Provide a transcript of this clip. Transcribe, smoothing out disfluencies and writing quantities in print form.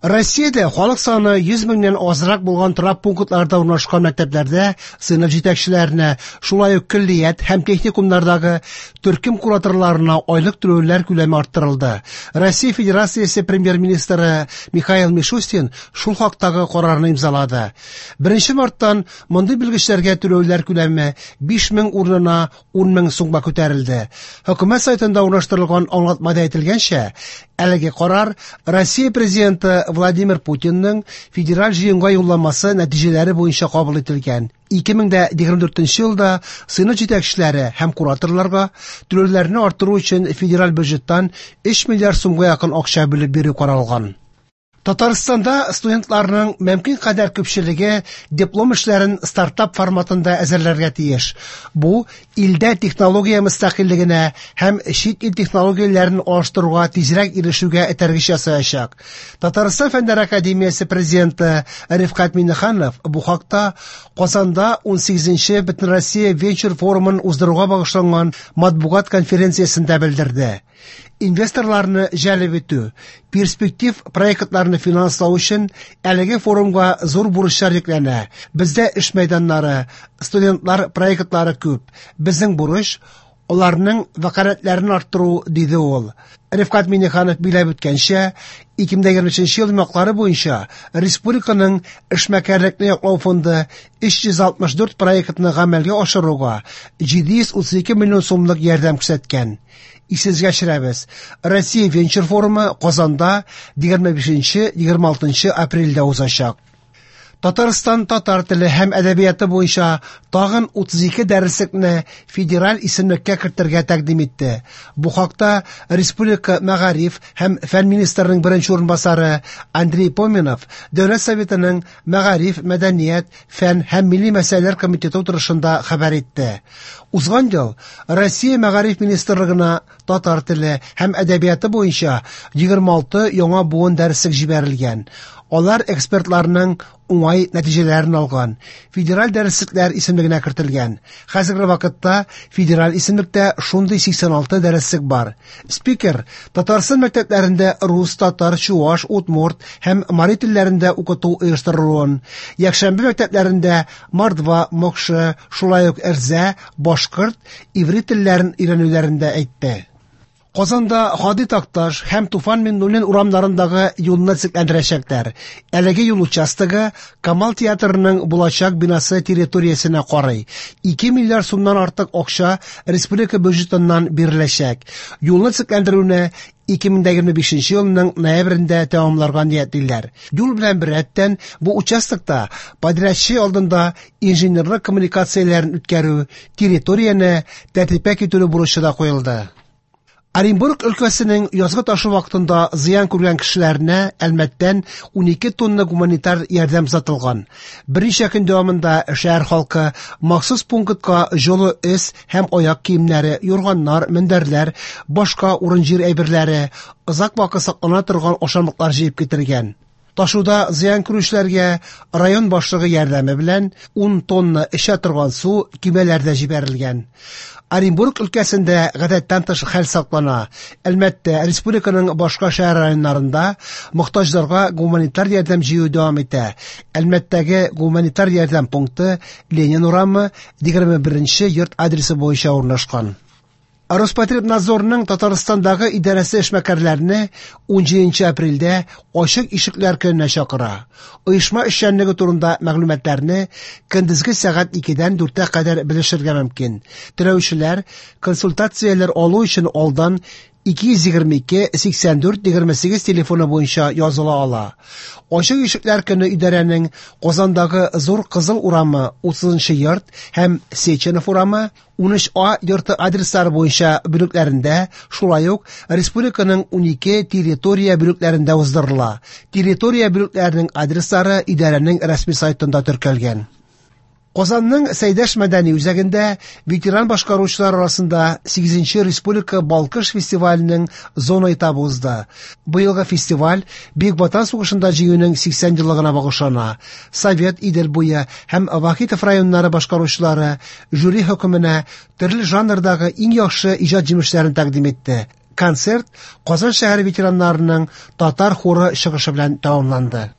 Россиядә халык саны 100 меңнән азрак булган торак пунктларда урнашкан мәктәпләрдә сыйныф җитәкчеләренә, шулай ук көллият һәм техникумнардагы төркем кураторларына айлык түләүләр күләме арттырылды. Россия Федерациясе премьер-министры Михаил Мишустин шул хактагы карарны имзалады. 1 марттан мондый белгечләргә түләүләр күләме 5 мең урынына 10 мең сумга күтәрелде. Хөкүмәт сайтында урнаштырылган аңлатмада әйтелгәнчә, әлеге карар Россия президенты Владимир Путинның федераль җыенга юлламасы нәтиҗәләре буенча кабул ителгән. 2024 елда сыйныф җитәкчеләре һәм кураторларга түләүләрне арттыру өчен федераль бюджеттан 3 миллиард сумга якын акча бүлеп бирү каралган. Татарстанда студентларның мөмкин кадәр күпчелеге диплом эшләрен стартап форматында әзерләргә тиеш. Бу илдә технология мөстәкыйльлегенә һәм чит ил технологияләрен алыштыруга тизрәк ирешүгә этәргеч ясаячак. Татарстан Фәннәр академиясе президенты Рифкать Миңнеханов бу хакта Казанда 18-нче Бөтенроссия венчур форумын уздыруга багышланган матбугат конференциясендә белдерде. Инвесторларны җәлеп итү, перспектив проектларны финанслау өчен әлеге форумга зур бурычлар йөкләнә. Бездә эш мәйданнары, студентлар проектлары күп. Безнең бурыч аларның вәкаләтләрен арттыру, диде ул. Рифкать Миңнеханов билгеләп үткәнчә, 2023 ел йомгаклары буенча республиканың эшмәкәрлекне яклау фонды 364 проектны гамәлгә ашыруга 732 миллион сумлык ярдәм күрсәткән. Исегезгә төшерәбез, Россия венчур форумы Казанда 25-26 апрельдә узачак. Татарстан татар теле һәм әдәбияты буенча тагын 32 дәреслекне федераль исемлеккә кертергә тәкъдим итте. Бу хакта Республика мәгариф һәм фән министрының беренче урынбасары Андрей Поминов Дәүләт Советының мәгариф, мәдәният, фән һәм милли мәсьәләләр комитеты утырышында хәбәр итте. Узган ел Россия мәгариф министрлыгына татар теле һәм әдәбияты буенча 26 яңа буын дәреслек җибәрелгән. Алар экспертларның уңай нәтиҗәләрен алган. Федераль дәреслекләр исемлегенә кертелгән. Хәзерге вакытта федераль исемлектә шундый 86 дәреслек бар. Спикер Татарстан мәктәпләрендә рус, татар, чуаш, удмурт һәм мари телләрендә укыту оештырылуын, якшәмбе мәктәпләрендә мордва, мокшы, шулай ук эрзә, башкорт, иврит телләрен өйрәнүләрен дә әйтте. Казанда Һади Такташ һәм Туфан Миңнуллин урамнарындагы юлны төзекләндерәчәкләр. Әлеге юл участогы Камал театрының булачак бинасы территориясенә карый. 2 миллиард сумнан артык акча республика бюджетыннан биреләчәк. Юлны төзекләндерүне 2025 елның ноябрендә тәмамларга ниятлиләр. Юл белән беррәттән бу участокта подрядчы алдында инженерлык коммуникацияләрен үткәрү, территорияне тәртипкә китерү бурычы да куелды. Оренбург өлкәсенең язгы ташу вакытында зыян күргән кешеләренә Әлмәттән 12 тонна гуманитар ярдәм озатылган. Берничә көн дәвамында шәһәр халкы махсус пунктка җылы өс һәм аяк киемнәре, юрганнар, мендәрләр, башка урын-җир әйберләре, озак вакыт саклана торган ашамлыклар җыеп китергән. Ташуда зыян күрүчеләргә район башлыгы ярдәме белән 10 тонна эчә торган су көймәләрдә җибәрелгән. Оренбург өлкәсендә гадәттән тыш хәл саклана. Әлмәттә республиканың башка шәһәр районнарында мохтаҗларга гуманитар ярдәм җыю дәвам итә. Әлмәттәге гуманитар ярдәм пункты Ленин урамы 21 йорт адресы буенча урнашкан. Роспотребнадзорның Татарстандагы идарәсе эшмәкәрләрне 17 апрельдә ачык ишекләр көненә чакыра. Оешма эшчәнлеге турында мәгълүматларны көндезге сәгать 2-дән 4-кә кадәр белешергә мөмкин. Теләүчеләр консультацияләр алу өчен алдан 222 84 28 телефоны буенча языла ала. Ачык ишекләр көне идарәнең Казандагы Зур Кызыл урамы 30 йорт һәм Сеченов урамы 13А йорты адреслары буенча бүлекләрендә, шулай ук республиканың 12 территория бүлекләрендә уздырыла. Территория бүлекләренең адреслары идарәнең рәсми сайтында теркәлгән. Казанның Сәйдәш мәдәни үзәгендә ветеран башкаручылар арасында 8-нче республика Балкыш фестиваленең зона этабы узды. Быелгы фестиваль Бөек Ватан сугышында җиңүнең 80 еллыгына багышлана. Совет, Идел буе һәм Вахитов районнары башкаручылары жюри хөкеменә төрле жанрдагы иң яхшы иҗат җимешләрен тәкъдим итте. Концерт Казан шәһәре ветераннарының татар хоры чыгышы белән тәмамланды.